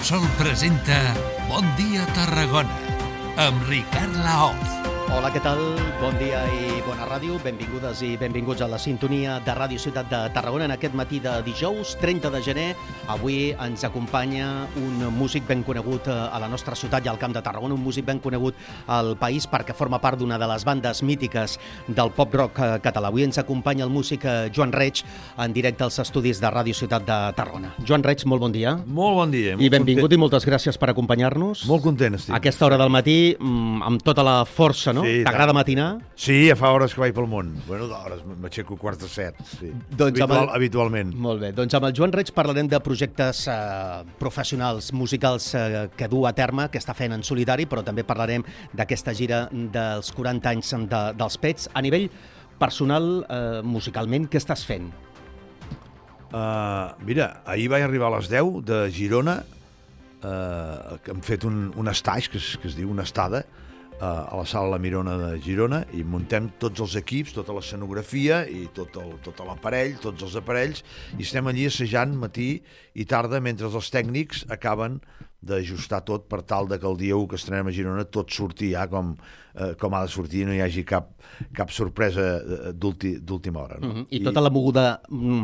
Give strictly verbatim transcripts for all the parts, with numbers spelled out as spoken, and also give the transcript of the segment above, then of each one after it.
Repsol presenta Bon dia Tarragona amb Ricard Laoz. Hola, què tal? Bon dia i bona ràdio. Benvingudes i benvinguts a la sintonia de Ràdio Ciutat de Tarragona en aquest matí de dijous, trenta de gener. Avui ens acompanya un músic ben conegut a la nostra ciutat i al Camp de Tarragona, un músic ben conegut al país perquè forma part d'una de les bandes mítiques del pop-rock català. Avui ens acompanya el músic Joan Reig en directe als estudis de Ràdio Ciutat de Tarragona. Joan Reig, molt bon dia. Molt bon dia. I benvingut content. I moltes gràcies per acompanyar-nos. Molt content estic. A aquesta hora del matí, amb tota la força, no? Sí, t'agrada matinar? Sí, ja fa hores que vaig pel món. Bueno, d'hores, m'aixeco quarts de set. Sí. Doncs Habitual, el... habitualment. Molt bé. Doncs amb el Joan Reig parlarem de projectes eh, professionals, musicals eh, que du a terme, que està fent en solitari, però també parlarem d'aquesta gira dels quaranta anys de, dels Pets. A nivell personal, eh, musicalment, què estàs fent? Uh, mira, ahir vaig arribar a les deu de Girona, uh, que hem fet un, un stage, que es, que es diu una estada, a la sala La Mirona de Girona, i muntem tots els equips, tota l'escenografia i tot, el, tot l'aparell, tots els aparells, i estem allí assajant matí i tarda mentre els tècnics acaben d'ajustar tot per tal de que el dia u que estrenem a Girona tot surti ja com, eh, com ha de sortir i no hi hagi cap, cap sorpresa d'última hora. No? Mm-hmm. I tota la moguda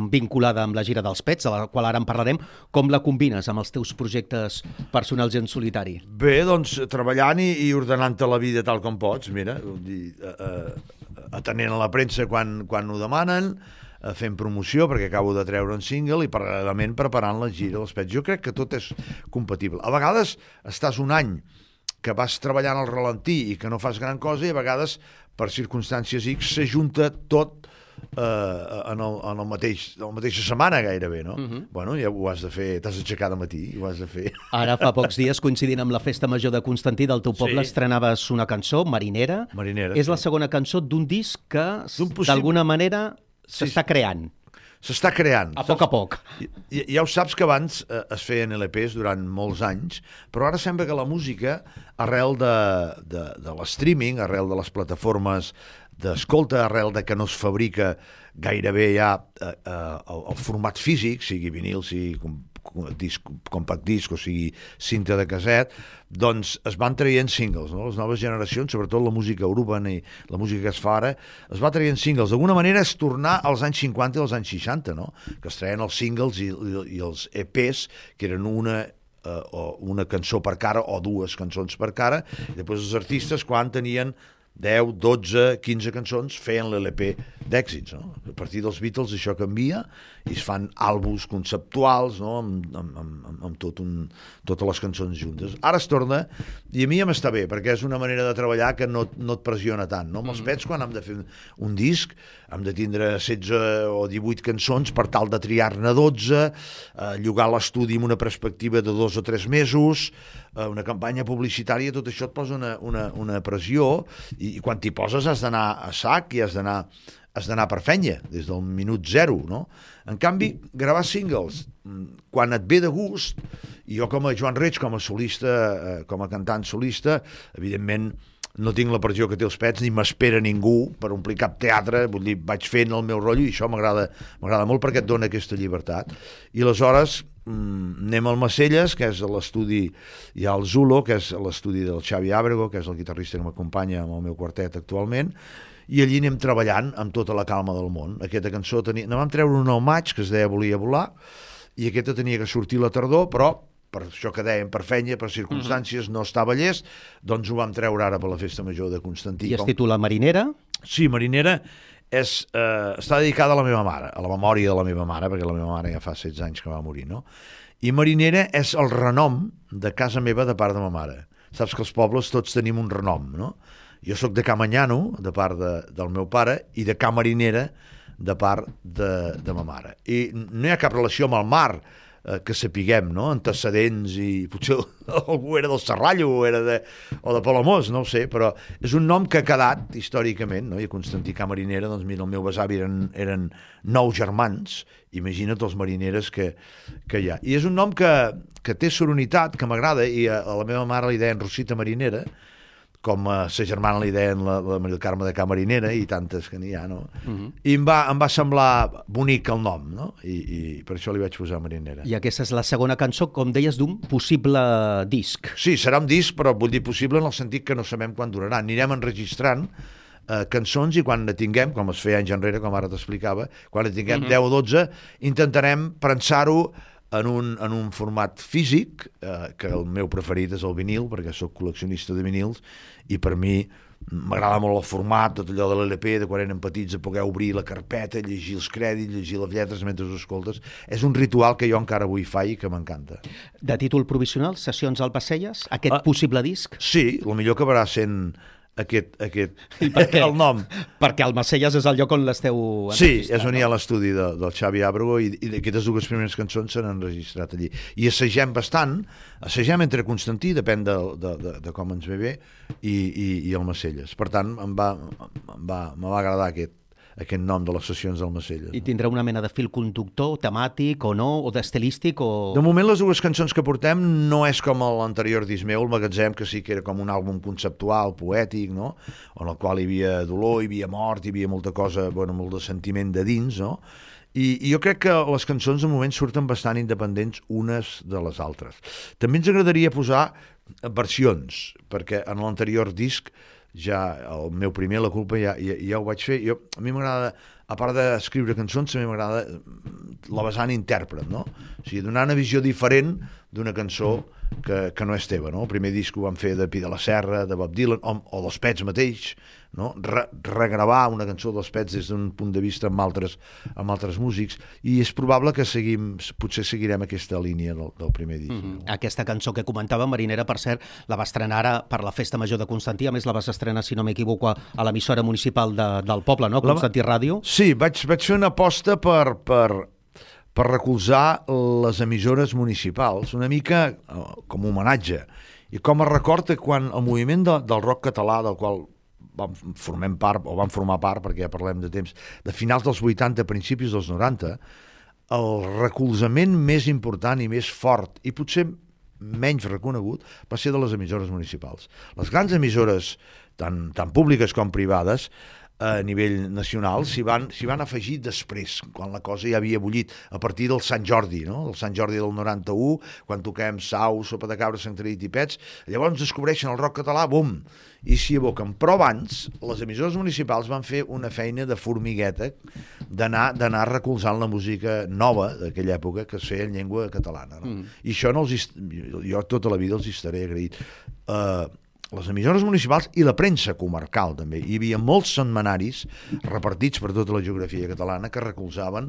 vinculada amb la gira dels Pets, de la qual ara en parlarem, com la combines amb els teus projectes personals en solitari? Bé, doncs, treballant i, i ordenant-te la vida tal com pots, mira, dir, eh, eh, atenent a la premsa quan, quan ho demanen, fent promoció, perquè acabo de treure un single, i paral·lelament preparant la gira dels Pets. Jo crec que tot és compatible. A vegades estàs un any que vas treballant al ralentí i que no fas gran cosa, i a vegades, per circumstàncies X, s'ajunta tot eh, en, el, en el mateix, en la mateixa setmana gairebé, no? Uh-huh. Bueno, ja ho has de fer, t'has d'aixecar de matí, ho has de fer. Ara, fa pocs dies, coincidint amb la festa major de Constantí del teu poble, sí, estrenaves una cançó, Marinera. Marinera, És sí. La segona cançó d'un disc que, possible... d'alguna manera, s'està creant. S'està creant. A poc a poc. Ja, ja ho saps que abans eh, es feien L Ps durant molts anys, però ara sembla que la música, arrel de, de, de l'streaming, arrel de les plataformes d'escolta, arrel de que no es fabrica gairebé ja eh, eh, el, el format físic, sigui vinil, sigui com, disc, compact disc o sigui cinta de caset, doncs es van traient singles, no? Les noves generacions, sobretot la música urbana i la música que es fa ara, es va traient singles. D'alguna manera és tornar als anys cinquanta i als anys seixanta, no? Que es traien els singles i, i, i els E Ps, que eren una, uh, o una cançó per cara o dues cançons per cara, i després els artistes, quan tenien deu, dotze, quinze cançons, feien l'L P d'èxits, no? A partir dels Beatles això canvia i es fan àlbums conceptuals, no? amb, amb, amb, amb tot un, totes les cançons juntes. Ara es torna, i a mi ja m'està bé, perquè és una manera de treballar que no, no et pressiona tant, no? Amb els Pets, quan hem de fer un disc, hem de tindre setze o divuit cançons per tal de triar-ne dotze, eh, llogar l'estudi amb una perspectiva de dos o tres mesos, eh, una campanya publicitària, tot això et posa una, una, una pressió, i, i quan t'hi poses has d'anar a sac i has d'anar has d'anar per fenya, des del minut zero, no? En canvi, gravar singles, quan et ve de gust, i jo com a Joan Reig, com a solista, eh, com a cantant solista, evidentment no tinc la pressió que té els Pets, ni m'espera ningú per omplir cap teatre, vull dir, vaig fent el meu rotllo, i això m'agrada m'agrada molt perquè et dona aquesta llibertat. I aleshores mm, anem al Macelles, que és l'estudi, hi ha el Zulo, que és l'estudi del Xavi Ábrego, que és el guitarrista que m'acompanya amb el meu quartet actualment, i allí anem treballant amb tota la calma del món. Aquesta cançó tenia... Ne vam treure una al maig, que es deia Volia volar, i aquesta tenia que sortir la tardor, però per això que dèiem, per fenya, per circumstàncies, no estava llest, doncs ho vam treure ara per la festa major de Constantí. I es titula Marinera? Sí, Marinera és, eh, està dedicada a la meva mare, a la memòria de la meva mare, perquè la meva mare ja fa setze anys que va morir, no? I Marinera és el renom de casa meva de part de ma mare. Saps que els pobles tots tenim un renom, no? Jo sóc de Ca Manyano, de part de, del meu pare, i de Ca Marinera, de part de, de ma mare. I no hi ha cap relació amb el mar, eh, que sapiguem, no? Antecedents, i potser algú era del Serrallo o, era de, o de Palamós, no ho sé, però és un nom que ha quedat històricament, no? I a Constantí Ca Marinera, doncs mira, el meu besavi eren, eren nou germans, imagina't els marineres que, que hi ha. I és un nom que, que té soronitat, que m'agrada, i a, a la meva mare li deien Rosita Marinera, com a sa germana li deien la, la Maria del Carme de Camarinera i tantes que n'hi ha, no? Uh -huh. I em va, em va semblar bonic el nom, no? I, i per això li vaig posar Marinera. I aquesta és la segona cançó, com deies, d'un possible disc. Sí, serà un disc, però vull dir possible en el sentit que no sabem quan durarà. Anirem enregistrant eh, cançons i quan ne tinguem, com es feia anys enrere, com ara t'explicava, quan ne tinguem uh -huh. deu o dotze, intentarem prensar-ho en un, en un format físic, eh, que el meu preferit és el vinil, perquè sóc col·leccionista de vinils, i per mi m'agrada molt el format, tot allò de l'L P, de quan eren petits, de poder obrir la carpeta, llegir els crèdits, llegir les lletres mentre ho escoltes. És un ritual que jo encara avui faig i que m'encanta. De títol provisional, Sessions Albacegues, aquest ah, possible disc? Sí, el millor acabarà sent aquest, aquest el nom. Perquè Almacelles és el lloc on l'esteu enregistrat. Sí, és on hi ha l'estudi de, del Xavi Ábrego i, i aquestes dues primeres cançons s'han enregistrat allí. I assagem bastant, assagem entre Constantí, depèn de, de, de, de com ens ve bé, i, i, i Almacelles. Per tant, em va, em va, em va agradar aquest, aquest nom de les sessions d'Almacelles. I tindrà una mena de fil conductor, temàtic o no, o d'estilístic? O... De moment les dues cançons que portem no és com l'anterior disc meu, el Magatzem, que sí que era com un àlbum conceptual, poètic, no? En el qual hi havia dolor, hi havia mort, hi havia molta cosa, bueno, molt de sentiment de dins, no? I, i jo crec que les cançons de moment surten bastant independents unes de les altres. També ens agradaria posar versions, perquè en l'anterior disc ja el meu primer, La culpa, ja, ja, ja ho vaig fer. Jo, a mi m'agrada, a part d'escriure cançons, també m'agrada la vessant intèrpret, no? O sigui, donar una visió diferent d'una cançó que, que no és teva, no? El primer disc ho vam fer de Pi de la Serra, de Bob Dylan, o, o dels Pets mateix, no? Re, regravar una cançó dels Pets des d'un punt de vista amb altres, amb altres músics, i és probable que seguim, potser seguirem aquesta línia del, del primer disc. Mm-hmm. No? Aquesta cançó que comentava, Marinera, per cert, la va estrenar ara per la Festa Major de Constantí, a més la vas estrenar, si no m'equivoco, a l'emissora municipal de, del poble, no? Constantí la... Ràdio. Sí, vaig, vaig fer una aposta per... per per recolzar les emissores municipals, una mica com homenatge. I com a record que quan el moviment de, del rock català, del qual vam, formem part, o vam formar part, perquè ja parlem de temps, de finals dels vuitanta, principis dels noranta, el recolzament més important i més fort, i potser menys reconegut, va ser de les emissores municipals. Les grans emissores, tant, tant públiques com privades, a nivell nacional, s'hi van, s'hi van afegir després, quan la cosa ja havia bullit, a partir del Sant Jordi, no? El Sant Jordi del noranta-u, quan toquem Sau, Sopa de Cabra, Sant Tradit i Pets, llavors descobreixen el rock català, bum, i s'hi aboquen. Però abans, les emissores municipals van fer una feina de formigueta d'anar d'anar recolzant la música nova d'aquella època que es feia en llengua catalana, no? Mm. I això no els, jo tota la vida els hi estaré agraït. Uh, les emissores municipals i la premsa comarcal també. Hi havia molts setmanaris repartits per tota la geografia catalana que recolzaven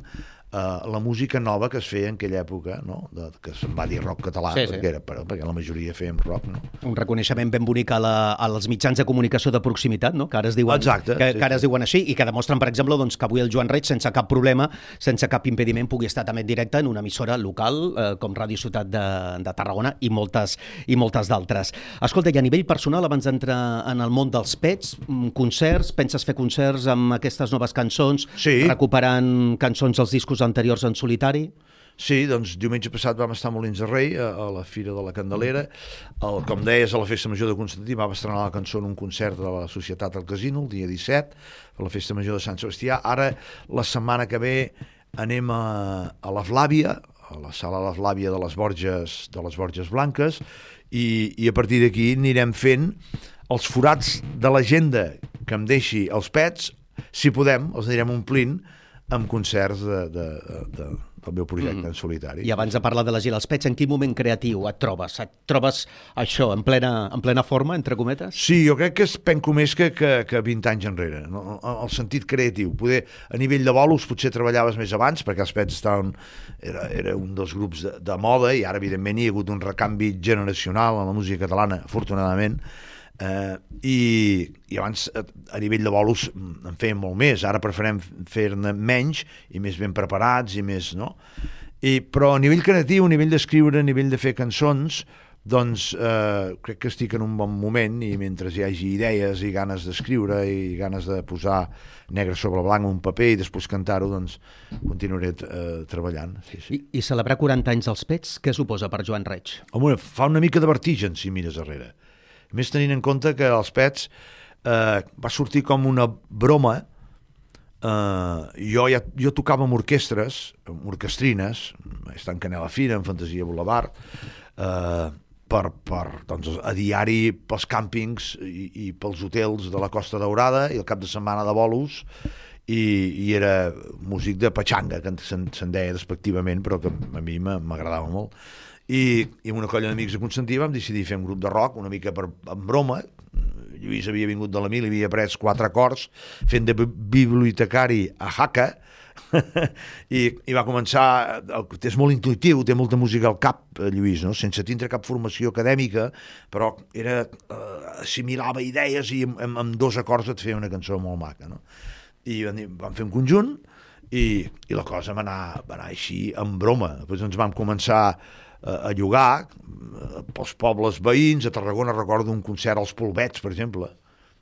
Uh, la música nova que es feia en aquella època, no? De, que se'n va dir rock català, sí, sí. Perquè, era, perquè la majoria fèiem rock, no? Un reconeixement ben bonic a la, als mitjans de comunicació de proximitat, no? Que ara es diuen, Exacte, que, sí, que ara es sí. diuen així, i que demostren, per exemple, doncs, que avui el Joan Reig, sense cap problema, sense cap impediment, pugui estar també en directe en una emissora local, eh, com Ràdio Ciutat de, de Tarragona, i moltes, i moltes d'altres. Escolta, i a nivell personal, abans d'entrar en el món dels Pets, concerts, penses fer concerts amb aquestes noves cançons, sí. recuperant cançons dels discos anteriors en solitari? Sí, doncs diumenge passat vam estar a Molins de Rei, a, a la Fira de la Candelera. El, com deies, a la Festa Major de Constantí vam estrenar la cançó en un concert de la Societat al Casino, el dia disset, a la Festa Major de Sant Sebastià. Ara, la setmana que ve, anem a, a la Flàvia, a la sala de la Flàvia de les Borges, de les Borges Blanques, i, i a partir d'aquí anirem fent els forats de l'agenda que em deixi els Pets, si podem, els anirem omplint amb concerts de, de, de, del meu projecte mm. en solitari. I abans de parlar de la gira als Pets, en quin moment creatiu et trobes? Et trobes això en plena, en plena forma, entre cometes? Sí, jo crec que es penco més que, que, que vint anys enrere, no? El sentit creatiu. Poder, a nivell de bolos potser treballaves més abans, perquè els Pets estaven, era, era un dels grups de, de moda, i ara evidentment hi ha hagut un recanvi generacional en la música catalana, afortunadament. Uh, i, i abans a nivell de bolos en fèiem molt més, ara preferem fer-ne menys i més ben preparats i més, no? I, però a nivell creatiu, a nivell d'escriure, a nivell de fer cançons, doncs uh, crec que estic en un bon moment, i mentre hi hagi idees i ganes d'escriure i ganes de posar negre sobre blanc un paper i després cantar-ho, doncs continuaré uh, treballant. Sí, sí. I, I celebrar quaranta anys dels Pets, què suposa per Joan Reig? Home, fa una mica de vertigen si mires darrere. A més, tenint en compte que els Pets eh, va sortir com una broma. Uh, jo, ja, jo tocava amb orquestres, amb orquestrines, estan en Canela Fira, en Fantasia Boulevard, uh, per, per, doncs, a diari pels càmpings i, i pels hotels de la Costa Daurada i el cap de setmana de bolos, i, i era músic de patxanga, que se'n, se'n deia despectivament, però que a mi m'agradava molt. I, i amb una colla d'amics de Constantí vam decidir fer un grup de rock, una mica per, en broma. Lluís havia vingut de la Mil i havia pres quatre acords fent de bibliotecari a Jaca I, i va començar, és molt intuitiu, té molta música al cap, Lluís, no? Sense tindre cap formació acadèmica, però era, eh, assimilava idees i amb, amb dos acords et feia una cançó molt maca, no? I vam fer un conjunt i, i la cosa va anar, va anar així en broma. Després ens vam començar a llogar pels pobles veïns. A Tarragona recordo un concert als Polvets, per exemple.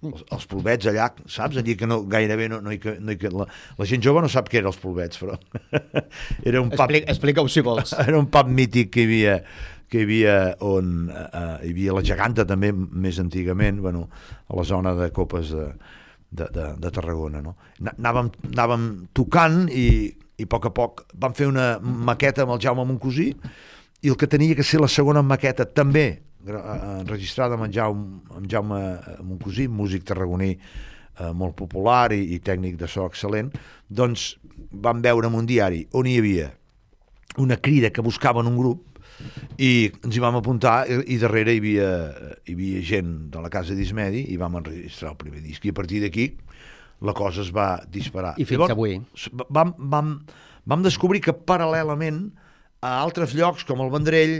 Els, els Polvets allà, saps? Allí que no, gairebé no, no, hi, no hi, la, la gent jove no sap què eren els Polvets, però era un pub... Explica, explica-ho si vols. Era un pub mític que hi havia, que hi havia on uh, hi havia la Geganta també, més antigament, bueno, a la zona de Copes de, de, de, de Tarragona, no? Anàvem, anàvem tocant i, i a poc a poc vam fer una maqueta amb el Jaume Moncosí, i el que tenia que ser la segona maqueta també enregistrada amb en Jaume, amb Jaume Moncosí, músic tarragoní eh, molt popular i, i tècnic de so excel·lent, doncs vam veure en un diari on hi havia una crida que buscaven un grup i ens hi vam apuntar i, i darrere hi havia, hi havia gent de la casa d'Ismedi i vam enregistrar el primer disc i a partir d'aquí la cosa es va disparar. I fins Llavors, avui. Vam, vam, vam descobrir que paral·lelament a altres llocs com el Vendrell,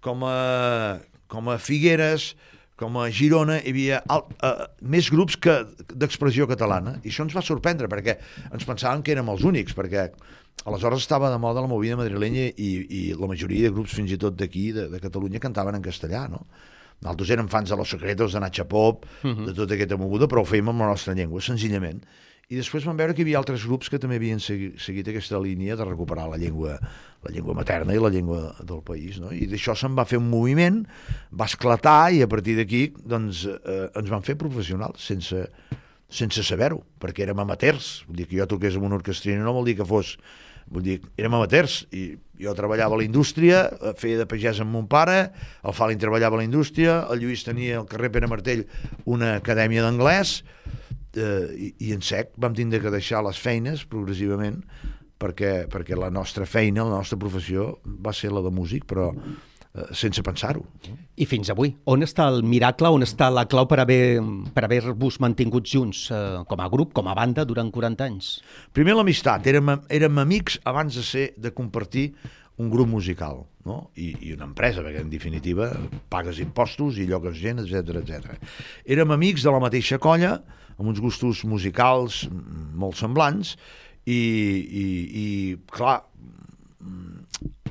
com a, com a Figueres, com a Girona, hi havia alt, uh, més grups que d'expressió catalana, i això ens va sorprendre perquè ens pensàvem que érem els únics, perquè aleshores estava de moda la movida madrilenya i, i la majoria de grups fins i tot d'aquí, de, de Catalunya, cantaven en castellà, no? Nosaltres érem fans de Los Secretos, de Nacha Pop, uh-huh. de tota aquesta moguda, però ho fèiem amb la nostra llengua, senzillament. I després vam veure que hi havia altres grups que també havien segui, seguit aquesta línia de recuperar la llengua, la llengua materna i la llengua del país, no? I d'això se'n va fer un moviment, va esclatar i a partir d'aquí doncs, eh, ens van fer professionals sense, sense saber-ho, perquè érem amateurs. Vull dir que jo toqués amb una orquestrina no vol dir que fos... Vull dir, érem amateurs i jo treballava a la indústria, feia de pagès amb mon pare, el Falin treballava a la indústria, el Lluís tenia al carrer Pere Martell una acadèmia d'anglès, Uh, i, i en sec vam tindre que deixar les feines progressivament perquè, perquè la nostra feina, la nostra professió va ser la de músic, però uh, sense pensar-ho. I fins avui, on està el miracle, on està la clau per haver, per haver-vos mantingut junts uh, com a grup, com a banda, durant quaranta anys? Primer l'amistat, érem, érem amics abans de ser de compartir un grup musical, no? I, i una empresa, perquè en definitiva pagues impostos i llogues gent, etcètera, etcètera. Érem amics de la mateixa colla, amb uns gustos musicals molt semblants i, i, i clar,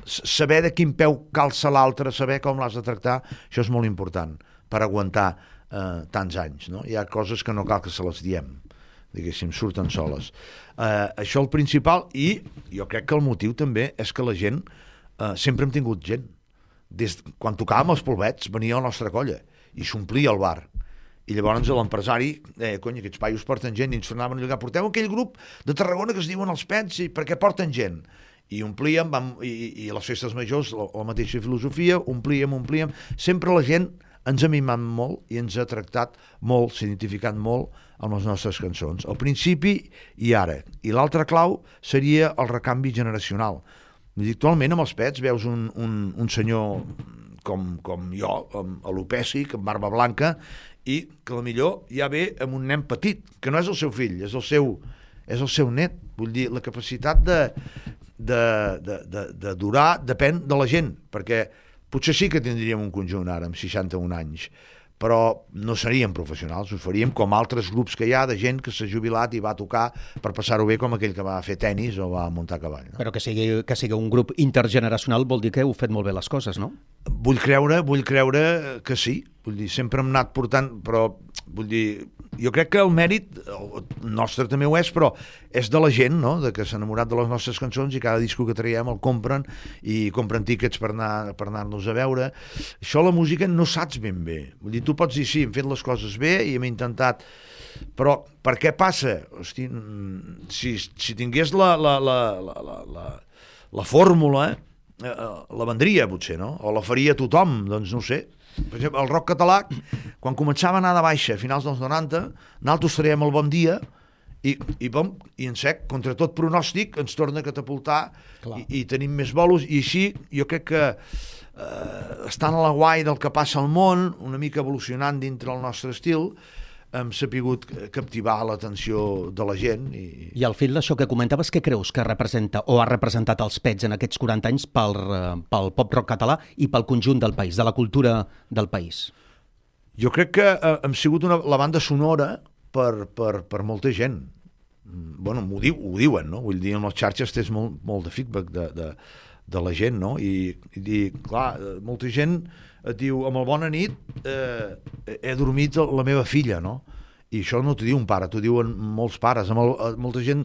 saber de quin peu calça l'altre, saber com l'has de tractar, això és molt important per aguantar eh, tants anys, no? Hi ha coses que no cal que se les diem, diguéssim, surten soles. Eh, això el principal, i jo crec que el motiu també és que la gent, eh, sempre hem tingut gent. Des, quan tocàvem els Polvets venia la nostra colla i s'omplia el bar. I llavors l'empresari deia, cony, aquests paios porten gent, i ens tornaven a llogar, porteu aquell grup de Tarragona que es diuen els Pets, i perquè porten gent. I omplíem, vam, i, i les festes majors, la, la mateixa filosofia, omplíem, omplíem. Sempre la gent ens ha mimat molt i ens ha tractat molt, s'ha identificat molt amb les nostres cançons. Al principi i ara. I l'altra clau seria el recanvi generacional. Actualment amb els Pets veus un, un, un senyor com, com jo, amb alopècic, amb barba blanca, i que potser ja ve amb un nen petit, que no és el seu fill, és el seu, és el seu net. Vull dir, la capacitat de, de, de, de, de durar depèn de la gent, perquè potser sí que tindríem un conjunt ara amb seixanta-un anys, però no seríem professionals, ho faríem com altres grups que hi ha de gent que s'ha jubilat i va tocar per passar-ho bé, com aquell que va fer tennis o va muntar a cavall, no? Però que sigui, que sigui un grup intergeneracional vol dir que heu fet molt bé les coses, no? Vull creure, vull creure que sí, vull dir, sempre hem anat portant, però vull dir, jo crec que el mèrit el nostre també ho és, però és de la gent, no?, de que s'ha enamorat de les nostres cançons i cada disco que traiem el compren i compren tíquets per anar per anar-nos a veure. Això la música no saps ben bé. Vull dir, tu pots dir, sí, hem fet les coses bé i hem intentat, però per què passa? Hosti, si, si tingués la, la, la, la, la, la, la fórmula, eh, la vendria potser, no? O la faria tothom, doncs no ho sé. Per exemple, el rock català, quan començava a anar de baixa a finals dels noranta, nosaltres traiem el Bon Dia i, i, bom, i en sec, contra tot pronòstic, ens torna a catapultar i, i tenim més bolos, i així jo crec que eh, estant a la guai del que passa al món, una mica evolucionant dintre el nostre estil, hem sapigut captivar l'atenció de la gent. I, I al fil d'això que comentaves, què creus que representa o ha representat els Pets en aquests quaranta anys pel, pel pop-rock català i pel conjunt del país, de la cultura del país? Jo crec que eh, hem sigut una, la banda sonora per, per, per molta gent. Bueno, ho, diu, ho diuen, no? Vull dir, en les xarxes tens molt, molt de feedback de, de, de la gent, no? I, i clar, molta gent et diu, amb el bona nit eh, he dormit la meva filla, no? I això no t'ho diu un pare, t'ho diuen molts pares, amb el, molta gent,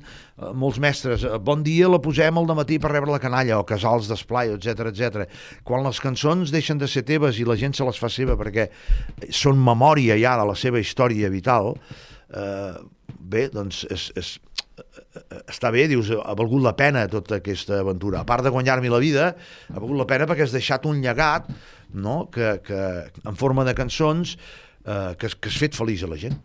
molts mestres, bon dia la posem al dematí per rebre la canalla, o casals d'esplai, etcètera, etcètera. Quan les cançons deixen de ser teves i la gent se les fa seva perquè són memòria ja de la seva història vital, eh, bé, doncs és, és, està bé, dius, ha valgut la pena tota aquesta aventura. A part de guanyar-me la vida, ha valgut la pena perquè has deixat un llegat, no?, que, que en forma de cançons eh, que, que has fet feliç a la gent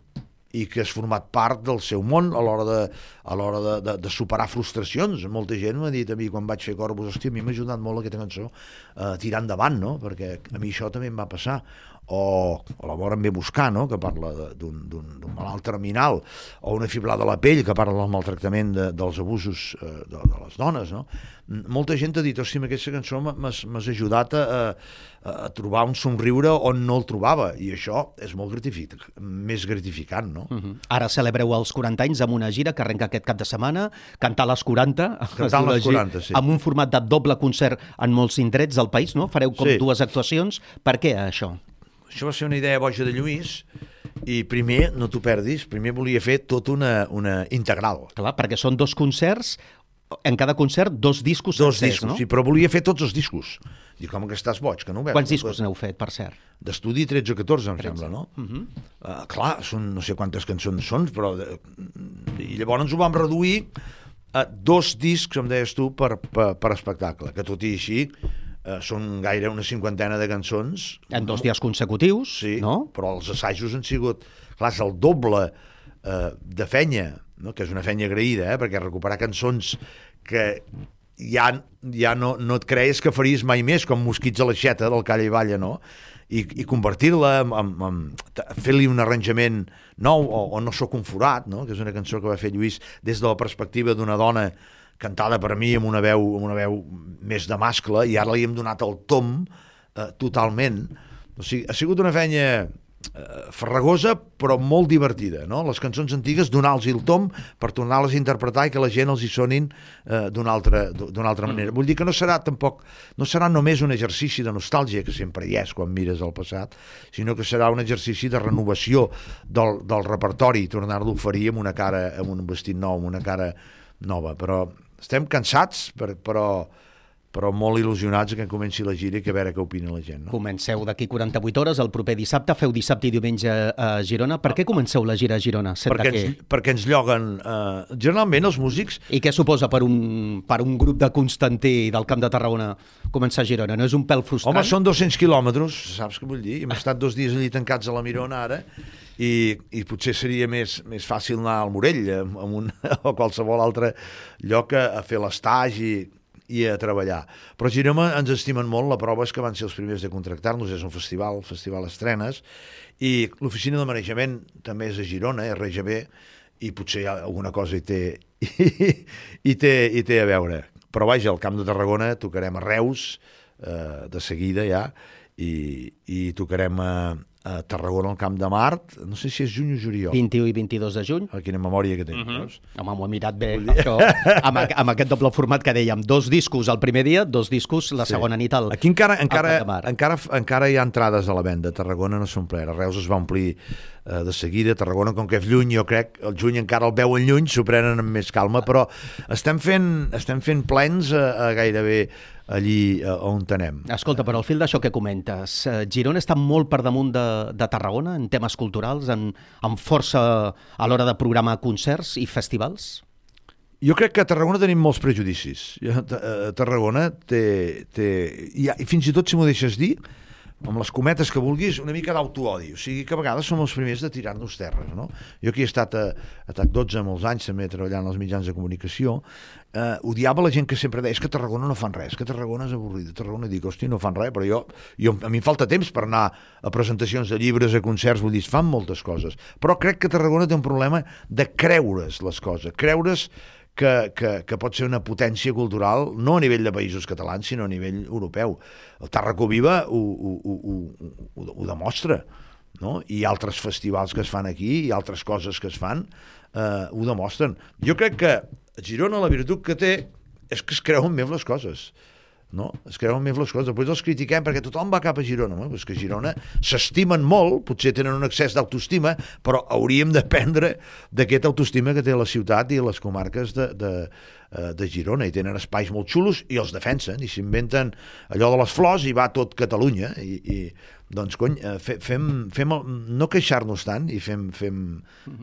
i que has format part del seu món a l'hora de, a l'hora de, de, de superar frustracions. Molta gent m'ha dit a mi quan vaig fer Corpus, hòstia, a mi m'ha ajudat molt aquesta cançó a tirar endavant, no?, perquè a mi això també em va passar. O, o la Mort em ve buscar, no?, que parla d'un malalt terminal, o una fiblada a la pell, que parla del maltractament de, dels abusos eh, de, de les dones, no? Molta gent ha dit, hòstia, amb aquesta cançó m'has ajudat a, a, a trobar un somriure on no el trobava, i això és molt gratificant, més gratificant, no? Uh -huh. Ara celebreu els quaranta anys amb una gira que arrenca aquest cap de setmana, Cantar les quaranta, Cantar les quaranta, sí. Amb un format de doble concert en molts indrets del país, no? Fareu com sí. dues actuacions. Per què això? Això va ser una idea boja de Lluís, i primer, no t'ho perdis, primer volia fer tota una, una integral. Clar, perquè són dos concerts, en cada concert dos discos dos sencers, discos, no? sí, però volia fer tots els discos. Dic, com que estàs boig, que no ho veus? Quants discos n'heu fet, per cert? D'estudi tretze o catorze, em tretze. sembla, no? Uh -huh. uh, clar, són no sé quantes cançons són, però... De... I llavors ho vam reduir a dos discs, em deies tu, per, per, per espectacle, que tot i així uh, són gaire una cinquantena de cançons. En dos dies consecutius, sí, no? Però els assajos han sigut... Clar, és el doble uh, de fenya, no? Que és una fenya agraïda, eh? Perquè recuperar cançons que ja, ja no, no et creus que faries mai més, com Mosquits a l'aixeta del Calla i Balla, no? I, i convertir-la en, en, en fer-li un arranjament nou, o, o No sóc un forat, no?, que és una cançó que va fer Lluís des de la perspectiva d'una dona cantada per mi amb una veu, amb una veu més de mascle, i ara li hem donat el tom eh, totalment. O sigui, ha sigut una feina eh, farragosa però molt divertida, no? Les cançons antigues, donar-los el tom per tornar-les a interpretar i que la gent els hi sonin eh, d'una altra, d'una altra manera. Vull dir que no serà tampoc, no serà només un exercici de nostàlgia, que sempre hi és quan mires el passat, sinó que serà un exercici de renovació del, del repertori i tornar-lo a oferir amb una cara, amb un vestit nou, amb una cara nova. Però estem cansats, per, però però molt il·lusionats que comenci la gira i que a veure què opina la gent, no? Comenceu d'aquí quaranta-vuit hores, el proper dissabte, feu dissabte i diumenge a Girona. Per què comenceu la gira a Girona? Perquè ens, perquè ens lloguen, eh, generalment els músics... I què suposa per un, per un grup de Constantí del Camp de Tarragona començar a Girona? No és un pèl frustrant? Home, són dos-cents quilòmetres, saps què vull dir? Hem estat dos dies allí tancats a la Mirona ara, i, i potser seria més, més fàcil anar al Morell amb un, o qualsevol altre lloc a, a fer l'estage i i a treballar. Però a Girona ens estimen molt, la prova és que van ser els primers de contractar-nos, és un festival, festival estrenes, i l'oficina de manejament també és a Girona, R G B, i potser alguna cosa hi té, hi, hi té, hi té a veure. Però vaja, al Camp de Tarragona tocarem a Reus, eh, de seguida ja, i, i tocarem a, a Tarragona, al Camp de Mart, no sé si és juny o juliol. vint-i-u i vint-i-dos de juny. Ah, quina memòria que tinc, Uh-huh. veus? Home, m'ho he mirat bé, això, amb, amb aquest doble format que dèiem, dos discos el primer dia, dos discos la segona nit al, Aquí encara, encara, al Camp de Mart. encara, encara hi ha entrades a la venda. Tarragona no s'ha omplert. A Reus es va omplir eh, de seguida. Tarragona, com que és lluny, jo crec, el juny encara el veuen lluny, s'ho prenen amb més calma, però estem fent, estem fent plens a, a gairebé allí a, on anem. Escolta, però al fil d'això que comentes, eh, Girona està molt per damunt de, de Tarragona en temes culturals, en, en força a l'hora de programar concerts i festivals? Jo crec que a Tarragona tenim molts prejudicis. A Tarragona té... té i, i fins i tot, si m'ho deixes dir, amb les cometes que vulguis, una mica d'autoodi. O sigui que a vegades som els primers de tirar-nos terres, no? Jo aquí he estat a, a T A C dotze molts anys, també treballant als mitjans de comunicació, eh, odiava la gent que sempre deia és que a Tarragona no fan res, que Tarragona és avorrida. A Tarragona dic, hosti, no fan res, però jo, jo, a mi em falta temps per anar a presentacions de llibres, a concerts, vull dir, es fan moltes coses. Però crec que Tarragona té un problema de creure's les coses, creure's Que, que, que pot ser una potència cultural no a nivell de països catalans, sinó a nivell europeu. El Tàrraco Viva ho, ho, ho, ho, ho, ho demostra, no? I altres festivals que es fan aquí i altres coses que es fan eh, ho demostren. Jo crec que a Girona la virtut que té és que es creuen més les coses, no? Es creuen més les coses. Després els critiquem perquè tothom va cap a Girona. No? Pues que a Girona s'estimen molt, potser tenen un excés d'autoestima, però hauríem d'aprendre d'aquesta autoestima que té la ciutat i les comarques de, de, de Girona. I tenen espais molt xulos i els defensen i s'inventen allò de les flors i va tot Catalunya. I, i doncs, cony, fem, fem el, no queixar-nos tant i fem, fem,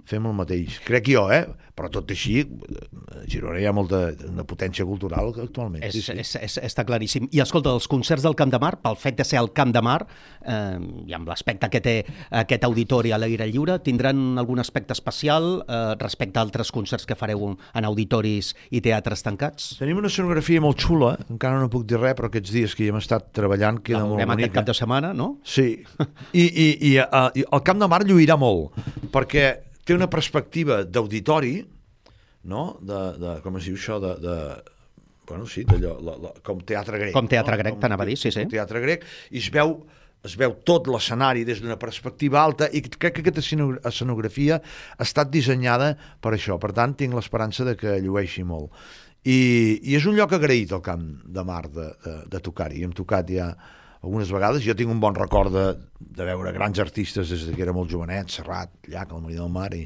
fem el mateix. Crec jo, eh? Però tot així, a Girona hi ha molta una potència cultural actualment. És, sí, sí. és, és, està claríssim. I escolta, els concerts del Camp de Mart, pel fet de ser al Camp de Mart, eh, i amb l'aspecte que té aquest auditori a l'aire lliure, tindran algun aspecte especial eh, respecte a altres concerts que fareu en auditoris i teatres tancats? Tenim una escenografia molt xula, encara no puc dir res, però aquests dies que hi hem estat treballant queda molt bonica. Aquest cap de setmana, no? Sí, i, i, i, uh, i el Camp de Mart lluirà molt, perquè té una perspectiva d'auditori, no? De, de, com es diu això, de... de bueno, sí, d'allò, la, la, com teatre grec. Com teatre no? grec, com, t'anava a dir, sí, sí. Teatre grec, i es veu, es veu tot l'escenari des d'una perspectiva alta, i crec que aquesta escenografia ha estat dissenyada per això. Per tant, tinc l'esperança de que llueixi molt. I, i és un lloc agraït, el Camp de Mart, de, de, de tocar-hi. Hem tocat ja algunes vegades. Jo tinc un bon record de, de veure grans artistes des que era molt jovenet, Serrat, Llach, el Marí del Mar, i,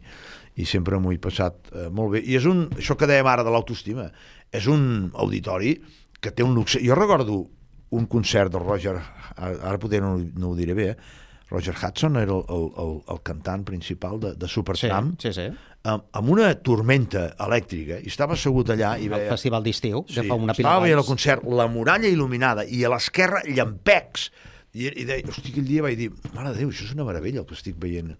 i sempre m'ho he passat eh, molt bé. I és un, això que dèiem ara de l'autoestima, és un auditori que té un luxe. Jo recordo un concert del Roger, ara potser no, no ho diré bé, eh? Roger Hudson era el, el, el, el cantant principal de, de Supertramp, sí, sí, sí. Amb, amb una tormenta elèctrica, i estava assegut allà i veia... El festival d'estiu, sí, de fa una pila estava veient el d'anys. concert, la muralla il·luminada, i a l'esquerra llampecs, i, i deia, hosti, aquell dia vaig dir, mare de Déu, això és una meravella el que estic veient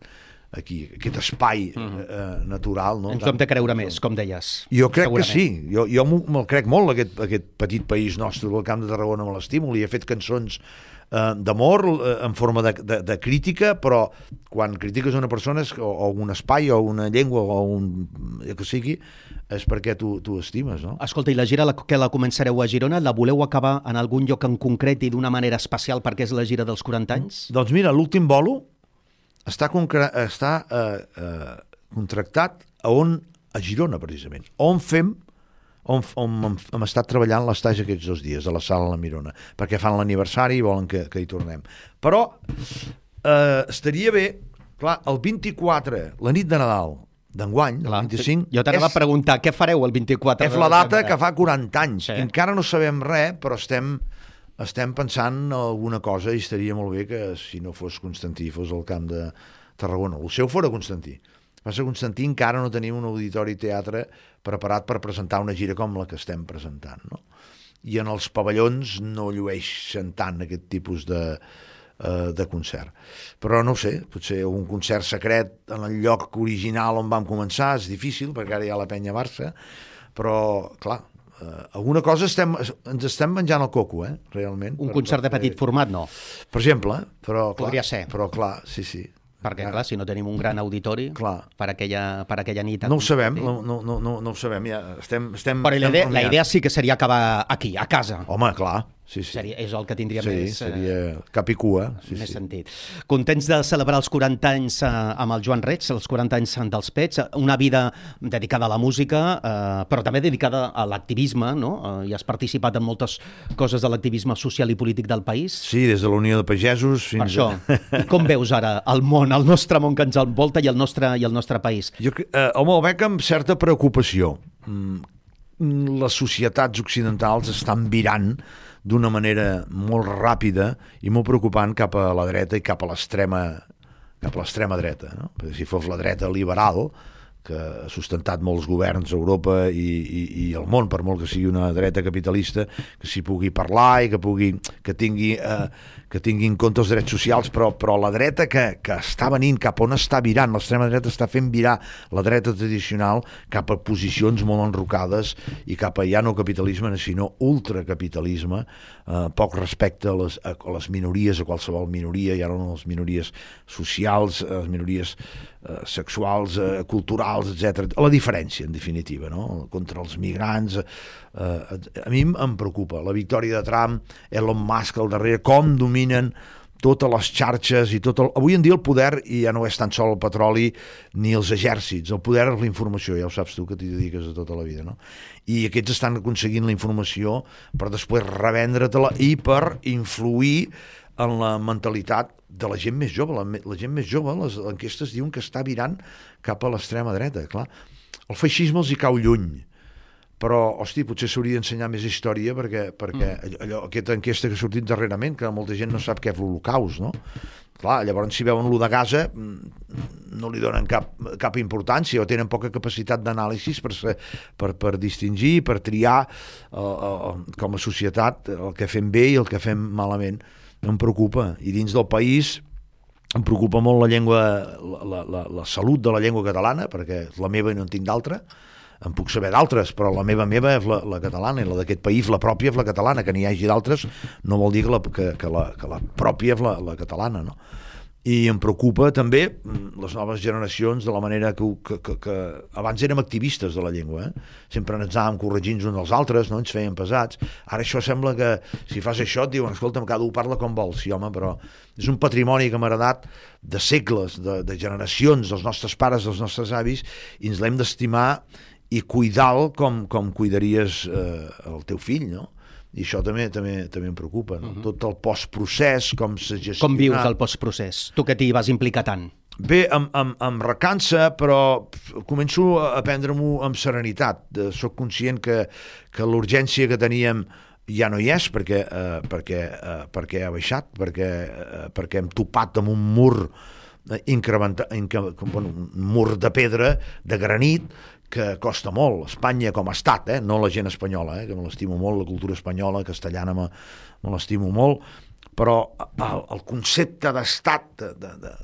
aquí, aquest espai mm-hmm. eh, natural. No? Ens ho hem de creure més, com deies. Jo crec segurament. que sí, jo, jo me'l crec molt, aquest, aquest petit país nostre del Camp de Tarragona, me l'estimo, li he fet cançons eh, d'amor eh, en forma de, de, de crítica, però quan critiques una persona o, o un espai o una llengua o un que sigui, és perquè tu, tu estimes, no? Escolta, i la gira la, que la començareu a Girona, la voleu acabar en algun lloc en concret i d'una manera especial perquè és la gira dels quaranta anys? Doncs mira, l'últim bolo està, concre- està eh, eh, contractat a on? A Girona, precisament. On fem, on, on hem, hem estat treballant l'estatge aquests dos dies, a la sala La Mirona, perquè fan l'aniversari i volen que, que hi tornem. Però eh, estaria bé, clar, el vint-i-quatre, la nit de Nadal, d'enguany, del vint-i-cinc... Jo t'anava a preguntar, què fareu el vint-i-quatre? És la data que fa quaranta anys. Sí. Encara no sabem res, però estem... Estem pensant alguna cosa i estaria molt bé que, si no fos Constantí, fos el Camp de Tarragona. El seu fora Constantí. Passa que Constantí encara no tenim un auditori teatre preparat per presentar una gira com la que estem presentant, no? I en els pavellons no llueixen tant aquest tipus de, uh, de concert. Però no ho sé, potser un concert secret en el lloc original on vam començar és difícil, perquè ara hi ha la Penya Barça, però, clar, Uh, alguna cosa estem, ens estem menjant el coco, eh, realment. Un per, concert per de petit format, no? Per exemple, però clar, podria ser. Però clar, sí, sí. Perquè, clar, si no tenim un gran auditori clar. Per, aquella, per aquella nit... No ho sabem, no, no, no, no ho sabem, ja estem... estem Però la idea, estem la idea sí que seria acabar aquí, a casa. Home, clar, Sí, sí. Seria, és el que tindria sí, més, seria eh, cap i cua. Sí, més sí. sentit. Contents de celebrar els quaranta anys eh, amb el Joan Reig, els quaranta anys dels Pets, una vida dedicada a la música, eh, però també dedicada a l'activisme, no? Eh, i has participat en moltes coses de l'activisme social i polític del país. Sí, des de la Unió de Pagesos fins per això. a... I com veus ara el món, el nostre món que ens envolta i el nostre, i el nostre país? Jo, eh, home, el veig amb certa preocupació. Mm, les societats occidentals estan virant d'una manera molt ràpida i molt preocupant cap a la dreta i cap a l'extrema cap a l'extrema dreta, no? Perquè si fos la dreta liberal, que ha sustentat molts governs a Europa i, i, i el món, per molt que sigui una dreta capitalista, que s'hi pugui parlar i que pugui que tingui, eh, que tingui en compte els drets socials, però, però la dreta que, que està venint cap on està virant, l'extrema dreta està fent virar la dreta tradicional cap a posicions molt enrocades i cap a ja no capitalisme, sinó ultracapitalisme, eh, poc respecte a les, a, a les minories, a qualsevol minoria, ja no les minories socials, les minories eh, sexuals, eh, culturals, etcètera. La diferència, en definitiva, no? Contra els migrants. Eh, a mi em preocupa la victòria de Trump, Elon Musk al darrere, com dominen totes les xarxes i tot el... Avui en dia el poder ja no és tan sol el petroli ni els exèrcits, el poder és la informació, ja ho saps tu que t'hi dediques a tota la vida, no? I aquests estan aconseguint la informació per després revendre-te-la i per influir en la mentalitat de la gent més jove. La, la gent més jove, les enquestes diuen que està virant cap a l'extrema dreta, clar. El feixisme els hi cau lluny, però, hosti, potser s'hauria d'ensenyar més història perquè, perquè mm. allò, aquesta enquesta que ha sortit darrerament, que molta gent no sap què és l'Holocaust, no? Clar, llavors si veuen l'u de Gaza no li donen cap, cap importància o tenen poca capacitat d'anàlisi per, per, per distingir, per triar eh, eh, com a societat el que fem bé i el que fem malament. Em preocupa, i dins del país em preocupa molt la llengua, la, la, la salut de la llengua catalana, perquè és la meva i no en tinc d'altra. En puc saber d'altres, però la meva meva és la, la catalana, i la d'aquest país, la pròpia és la catalana. Que n'hi hagi d'altres no vol dir que la, que, que la, que la pròpia és la, la catalana, no? I em preocupa també les noves generacions de la manera que, que, que, que abans érem activistes de la llengua, eh? Sempre ens anàvem corregint uns als altres, no ens feien pesats. Ara això sembla que si fas això et diuen, escolta'm, cada un parla com vol. Sí, home, però és un patrimoni que m'ha heredat de segles, de, de generacions, dels nostres pares, dels nostres avis, i ens l'hem d'estimar i cuidar-lo com, com cuidaries eh, el teu fill, no? I això també també també em preocupa, no? Uh-huh. Tot el postprocés, com s'ha gestionat. Com vius el postprocés? Tu que t'hi vas implicar tant. Bé, em, em, em recansa, però començo a prendre-m'ho amb serenitat. Soc conscient que, que l'urgència que teníem ja no hi és, perquè, eh, perquè, eh, perquè ha baixat, perquè, eh, perquè hem topat amb un mur incrementat, incre... bueno, un mur de pedra, de granit, que costa molt. Espanya com a estat, eh? No la gent espanyola, eh? Que me l'estimo molt, la cultura espanyola, castellana me, me l'estimo molt, però el, el concepte d'estat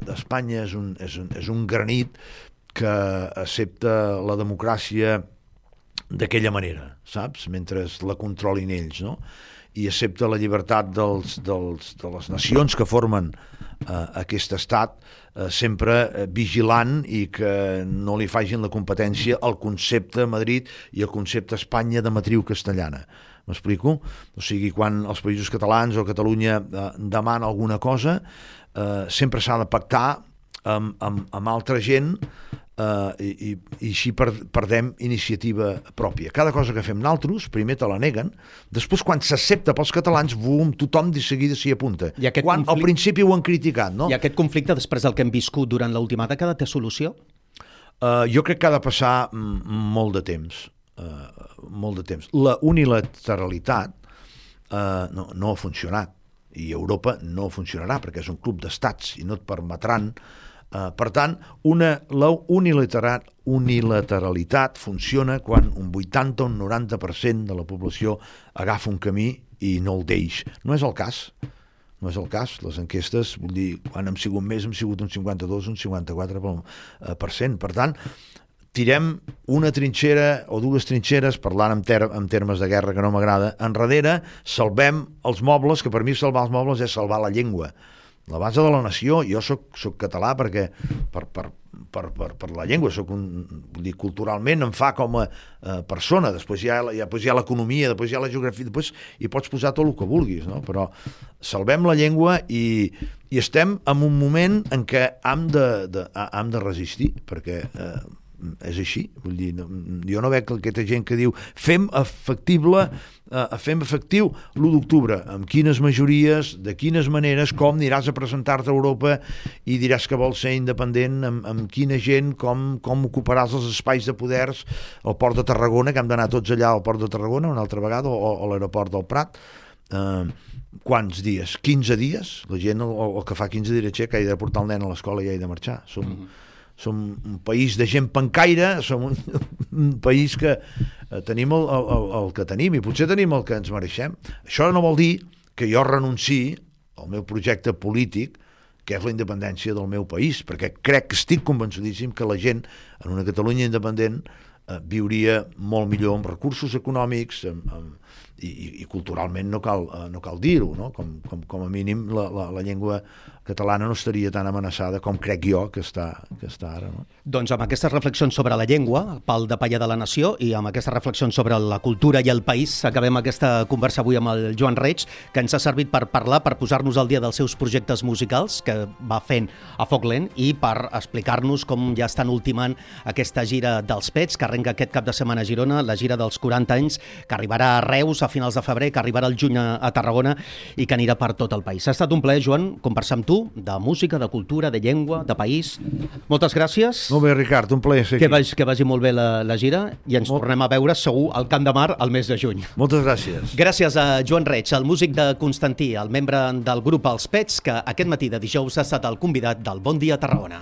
d'Espanya és, un, és, un, és un granit que accepta la democràcia d'aquella manera, saps? Mentre la controlin ells, no? I accepta la llibertat dels, dels, de les nacions que formen eh, aquest estat, eh, sempre eh, vigilant i que no li facin la competència al concepte Madrid i al concepte Espanya de matriu castellana. M'explico? O sigui, quan els països catalans o Catalunya eh, demana alguna cosa, eh, sempre s'ha de pactar amb, amb, amb altra gent, Uh, i, i, i així per, perdem iniciativa pròpia. Cada cosa que fem naltros, primer te la neguen, després quan s'accepta pels catalans, bum, tothom de seguida s'hi apunta. Quan conflict... al principi ho han criticat, no? I aquest conflicte, després del que hem viscut durant l'última dècada, té solució? Uh, jo crec que ha de passar molt de temps. Uh, molt de temps. La unilateralitat uh, no, no ha funcionat, i Europa no funcionarà, perquè és un club d'estats i no et permetran. Uh, per tant, una, la unilateral, unilateralitat funciona quan un vuitanta o un noranta per cent de la població agafa un camí i no el deix. No és el cas. No és el cas. Les enquestes, vull dir, quan hem sigut més, hem sigut un cinquanta-dos, un cinquanta-quatre per cent. Per tant, tirem una trinxera o dues trinxeres, parlant en, ter en termes de guerra que no m'agrada, enrere salvem els mobles, que per mi salvar els mobles és salvar la llengua. la base de la nació. Jo soc, soc català perquè per, per, per, per, per la llengua, soc un, vull dir, culturalment em fa com a eh, persona, després hi ha, ja, després hi ha l'economia, després hi ha la geografia, després hi pots posar tot el que vulguis, no? Però salvem la llengua i, i estem en un moment en què hem de, de, hem de resistir, perquè eh, és així, vull dir, no, jo no veig aquesta gent que diu fem efectible eh, fem efectiu l'u d'octubre, amb quines majories, de quines maneres, com aniràs a presentar-te a Europa i diràs que vols ser independent, amb, amb quina gent, com, com ocuparàs els espais de poders al port de Tarragona, que hem d'anar tots allà al port de Tarragona una altra vegada, o, o a l'aeroport del Prat. Eh, quants dies? quinze dies? La gent, el, el que fa quinze dies, que ha de portar el nen a l'escola i ha de marxar. Som... Mm-hmm. Som un país de gent pencaire, som un, un país que eh, tenim el, el, el que tenim i potser tenim el que ens mereixem. Això no vol dir que jo renunciï al meu projecte polític, que és la independència del meu país, perquè crec que estic convençudíssim que la gent en una Catalunya independent eh, viuria molt millor amb recursos econòmics, amb, amb, i, i, i culturalment no cal, eh, no cal dir-ho, no? Com, com, com a mínim la, la, la llengua catalana no estaria tan amenaçada com crec jo que està, que està ara. No? Doncs amb aquestes reflexions sobre la llengua, pal de palla de la nació, i amb aquestes reflexions sobre la cultura i el país, acabem aquesta conversa avui amb el Joan Reig, que ens ha servit per parlar, per posar-nos al dia dels seus projectes musicals que va fent a Foc Lent i per explicar-nos com ja estan ultimant aquesta gira dels Pets, que arrenca aquest cap de setmana a Girona, la gira dels quaranta anys, que arribarà a Reus a finals de febrer, que arribarà al juny a, a Tarragona i que anirà per tot el país. Ha estat un plaer, Joan, conversar amb tu de música, de cultura, de llengua, de país. Moltes gràcies. Molt bé, Ricard, un plaer ser aquí. Que vagi, que vagi molt bé la, la gira i ens molt... tornem a veure segur al Camp de Mar al mes de juny. Moltes gràcies. Gràcies a Joan Reig, el músic de Constantí, el membre del grup Els Pets, que aquest matí de dijous ha estat el convidat del Bon Dia Tarragona.